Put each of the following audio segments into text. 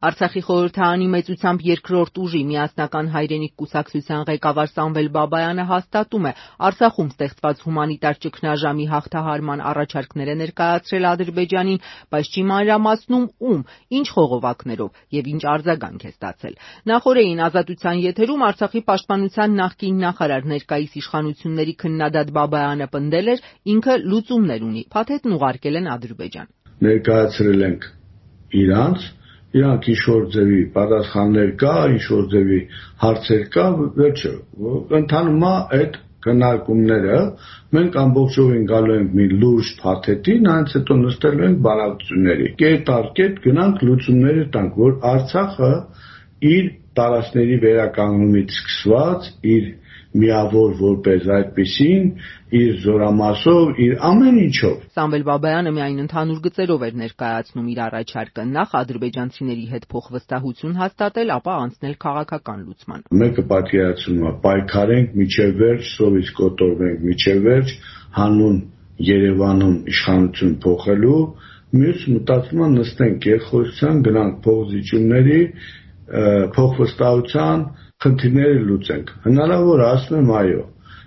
Արցախի խորհրդարանի մեծությամբ երկրորդ ուժի միասնական հայրենիք կուսակցության ղեկավար Սամվել Բաբայանը հաստատում է, Արցախում ստեղծված հումանիտար ճգնաժամի հաղթահարման առաջարկներ է ներկայացրել Ադրբեջանին, բայց չի մանրամասնում ում, ինչ խողովակներով եւ ինչ արձագանք է ստացել։ Նախորդին Ազատության եթերում Արցախի պաշտպանության նախկին նախարար ներկայիս իշխանությունների քննադատ Բաբայանը պնդել էր, ինքը լուծումներ ունի, փաթեթն ուղարկել են Ադրբեջան։ Ներկայացրել ենք իրանք ինչ-որ ձևի պատասխաններ կա, ինչ-որ ձևի հարցեր կա, վերջը, ընթանում է այդ քննարկումները, մենք ամբողջովին գալու ենք մի լուրջ փաթեթի, նայից հետո նստելու ենք բանակցությունների, կետ առ կետ գնանք լուծումները տանք, որ Արցախը իր տարածքների վերականգնումից սկսված, իր միավոր որպես այդպիսին, իր զորամասով, իր ամեն ինչով։ Սամվել Բաբայանը միայն ընդհանուր գծերով էր ներկայացնում իր առաջարկը, նախ ադրբեջանցիների հետ փոխվստահություն հաստատել, ապա անցնել քաղաքական լուծման։ Մեկը պատկերացնում է պայքարենք միջև վերջ, սովից կոտորվենք միջև վերջ, հանուն Երևանում իշխանություն փոխելու, մյուս մտածում է նստենք երկխոսության, գնանք փոխզիջումների, փոխվստահության խնդիրները լուծենք։ Հնարավոր ասում եմ այո։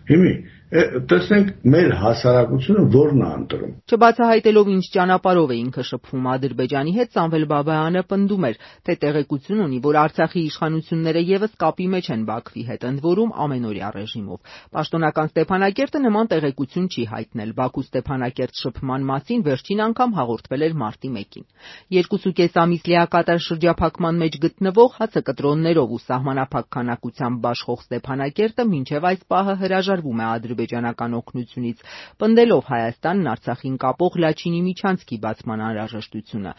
Հիմա տեսնենք մեր հասարակությունը որն է ընտրում։ Չբացահայտելով ինչ ճանապարհով է ինքը շփվում Ադրբեջանի հետ, Սամվել Բաբայանը պնդում էր, թե տեղեկություն ունի, որ Արցախի իշխանությունները եւս կապի մեջ են Բաքվի հետ, ընդ որում ամենօրյա ռեժիմով։ Պաշտոնական Ստեփանակերտը նման տեղեկություն չի հայտնել։ Բաքու-Ստեփանակերտ շփման մասին վերջին անգամ հաղորդվել էր մարտի 1-ին։ 2.5 ամիս լիակատար շրջափակման մեջ գտնվող հացակտրոններով ու սահմանափակ քանակությամբ բաշխող Ստեփանակերտը մինչև այս պահը հրաժարվում է ադրբեջանական օգնությունից, պնդելով Հայաստանն Արցախին կապող Լաչինի միջանցքի բացման անհրաժեշտությունը։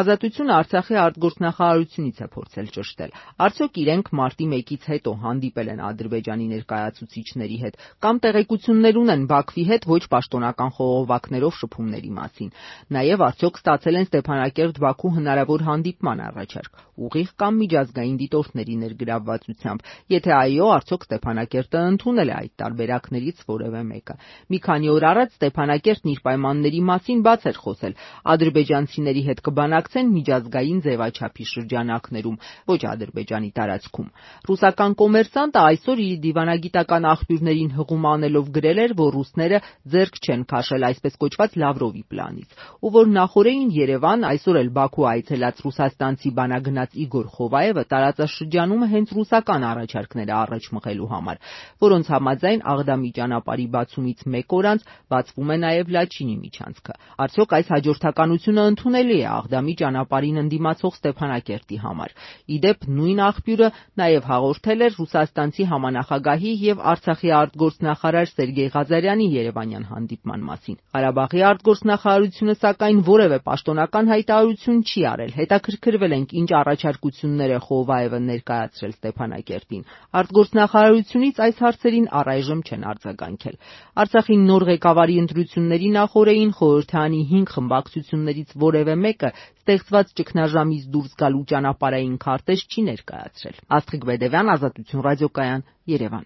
Ազատությունը Արցախի արտգործնախարարությունից է փորձել ճշտել։ Արդյոք իրենք մարտի 1-ից հետո հանդիպել են Ադրբեջանի ներկայացուցիչների հետ կամ տեղեկություններ ունեն Բաքվի հետ ոչ պաշտոնական խողովակներով շփումների մասին։ Նաև արդյոք ստացել են Ստեփանակերտ-Բաքու հնարավոր հանդիպման առաջարկ, ուղիղ կամ միջազգային դիտորդների ներգրավվածությամբ։ Եթե այո, արդյոք Ստեփանակերտը ընդունել է այդ տարբերակներից որևէ մեկը։ Մի քանի օր առաջ Ստեփանակերտն իր պայմանների մասին բաց էր խոսել։ Ադրբեջանցիների հետ կբանակցեն միջազգային ձևաչափի շրջանակներում, ոչ Ադրբեջանի տարածքում։ Ռուսական կոմերսանտը այսօր իր դիվանագիտական աղբյուրներին հղում անելով գրել էր, որ ռուսները ձեռք չեն քաշել այսպես կոչված Լավրովի պլանից, ու որ նախորդին Երևան, այսօր էլ Բաքու այցելած ռուսաստանցի բանագնաց Իգոր Խովայևը տարածաշրջանում հենց ռուսական առաջարկները առաջ մղելու համար, որոնց համաձայն Աղդամի ճանապարհի բացումից մեկ օր անց բացվում է նաև Լաչինի միջանցքը։ Արդյոք այս հաջորդականությունը ընդունելի է Աղդամի ճանապարհին ընդդիմացող Ստեփանակերտի համար։ Իդեպ նույն աղբյուրը նաև հաղորդել էր ռուսաստանցի համանախագահի եւ Արցախի արտգործնախարար Սերգեյ Ղազարյանի երևանյան հանդիպման մասին։ Ղարաբաղի արտգործնախարարությունը սակայն որևէ պաշտոնական հայտարարություն չի արել։ Հետաքրքրվել ենք ինչ առաջարկություններ է Խովայևը ներկայացրել Ստեփանակերտին։ Արտգործնախարարությունից այս հարցերին առայժմ չեն արձագանքել։ Արցախի նոր ղեկավարի ընտրությունների նախորդին խորհրդարանի 5 խմբակցություններից որևէ մեկը ստեղծված ճգնաժամից դուրս գալու ճանապարհային քարտեզ չի ներկայացրել։ Աստղիկ Բեդևյան, Ազատություն ռադիոկայան, Երևան։